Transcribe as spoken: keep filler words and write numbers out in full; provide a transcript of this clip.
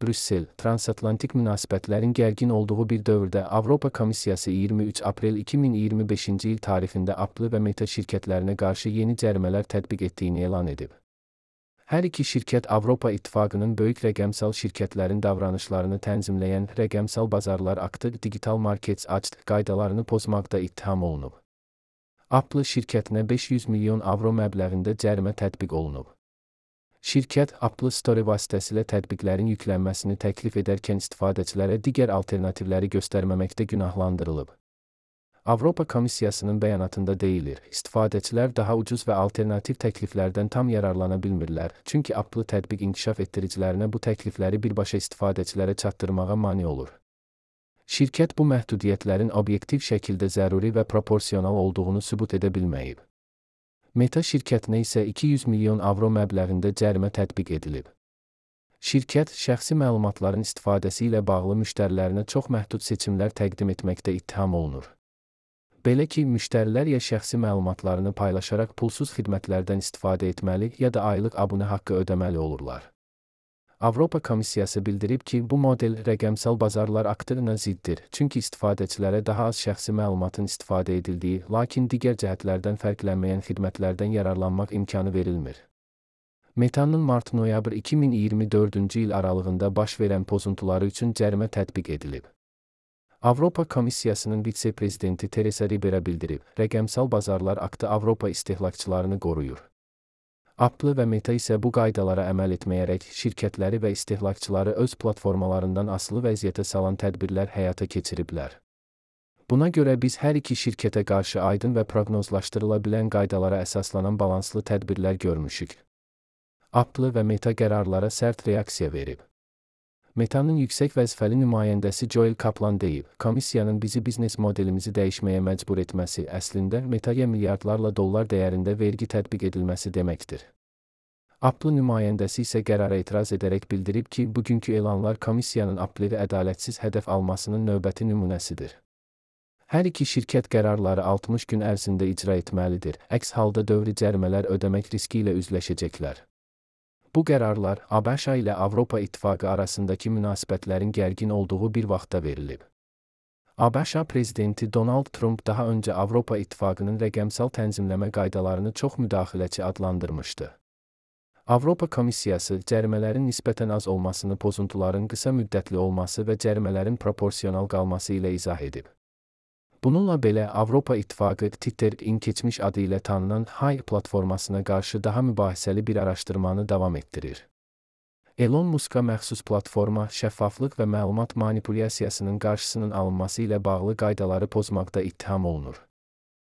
Brüssel, transatlantik münasibətlərin gərgin olduğu bir dövrdə Avropa Komissiyası iyirmi üç aprel iki min iyirmi beşinci il tarixində Apple və Meta şirkətlərinə qarşı yeni cərimələr tətbiq etdiyini elan edib. Hər iki şirkət Avropa İttifaqının böyük rəqəmsal şirkətlərin davranışlarını tənzimləyən Rəqəmsal Bazarlar Aktı Digital Markets Act qaydalarını pozmaqda ittiham olunub. Apple şirkətinə beş yüz milyon avro məbləğində cərimə tətbiq olunub. Şirkət Apple Store vasitəsilə tətbiqlərin yüklənməsini təklif edərkən istifadəçilərə digər alternativləri göstərməməkdə günahlandırılıb. Avropa Komissiyasının bəyanatında deyilir, istifadəçilər daha ucuz və alternativ təkliflərdən tam yararlana bilmirlər, çünki Apple tətbiq inkişaf etdiricilərinə bu təklifləri birbaşa istifadəçilərə çatdırmağa mane olur. Şirkət bu məhdudiyyətlərin obyektiv şəkildə zəruri və proporsional olduğunu sübut edə bilməyib. Meta şirkətinə isə iki yüz milyon avro məbləğində cərimə tətbiq edilib. Şirkət, şəxsi məlumatların istifadəsi ilə bağlı müştərilərinə çox məhdud seçimlər təqdim etməkdə ittiham olunur. Belə ki, müştərilər ya şəxsi məlumatlarını paylaşaraq pulsuz xidmətlərdən istifadə etməli, ya da aylıq abunə haqqı ödəməli olurlar. Avropa Komissiyası bildirib ki, bu model Rəqəmsal Bazarlar Aktına ziddir, çünki istifadəçilərə daha az şəxsi məlumatın istifadə edildiyi, lakin digər cəhətlərdən fərqlənməyən xidmətlərdən yararlanmaq imkanı verilmir. Meta'nın mart-noyabr iki min iyirmi dördüncü il aralığında baş verən pozuntuları üçün cərimə tətbiq edilib. Avropa Komissiyasının vitse-prezidenti Teresa Ribera bildirib, Rəqəmsal Bazarlar Aktı Avropa istehlakçılarını qoruyur. Apple və Meta isə bu qaydalara əməl etməyərək şirkətləri və istehlakçıları öz platformalarından asılı vəziyyətə salan tədbirlər həyata keçiriblər. Buna görə biz hər iki şirkətə qarşı aydın və proqnozlaşdırıla bilən qaydalara əsaslanan balanslı tədbirlər görmüşük. Apple və Meta qərarlara sərt reaksiya verib. Meta'nın yüksək vəzifəli nümayəndəsi Joel Kaplan deyib, komissiyanın bizi biznes modelimizi dəyişməyə məcbur etməsi əslində Meta'ya milyardlarla dollar dəyərində vergi tətbiq edilməsi deməkdir. Apple nümayəndəsi isə qərara etiraz edərək bildirib ki, bugünkü elanlar komissiyanın Apple'i ədalətsiz hədəf almasının növbəti nümunəsidir. Hər iki şirkət qərarları altmış gün ərzində icra etməlidir, əks halda dövri cərimələr ödəmək riski ilə üzləşəcəklər. Bu qərarlar ABŞ ilə Avropa İttifaqı arasındakı münasibətlərin gərgin olduğu bir vaxtda verilib. ABŞ prezidenti Donald Trump daha öncə Avropa İttifaqının rəqəmsal tənzimləmə qaydalarını çox müdaxiləçi adlandırmışdı. Avropa Komissiyası cərimələrin nisbətən az olmasını pozuntuların qısa müddətli olması və cərimələrin proporsional qalması ilə izah edib. Bununla belə Avropa İttifaqı Twitter-in keçmiş adı ilə tanınan Hive platformasına qarşı daha mübahisəli bir araşdırmanı davam etdirir. Elon Musk'a məxsus platforma şəffaflıq və məlumat manipulyasiyasının qarşısının alınması ilə bağlı qaydaları pozmaqda ittiham olunur.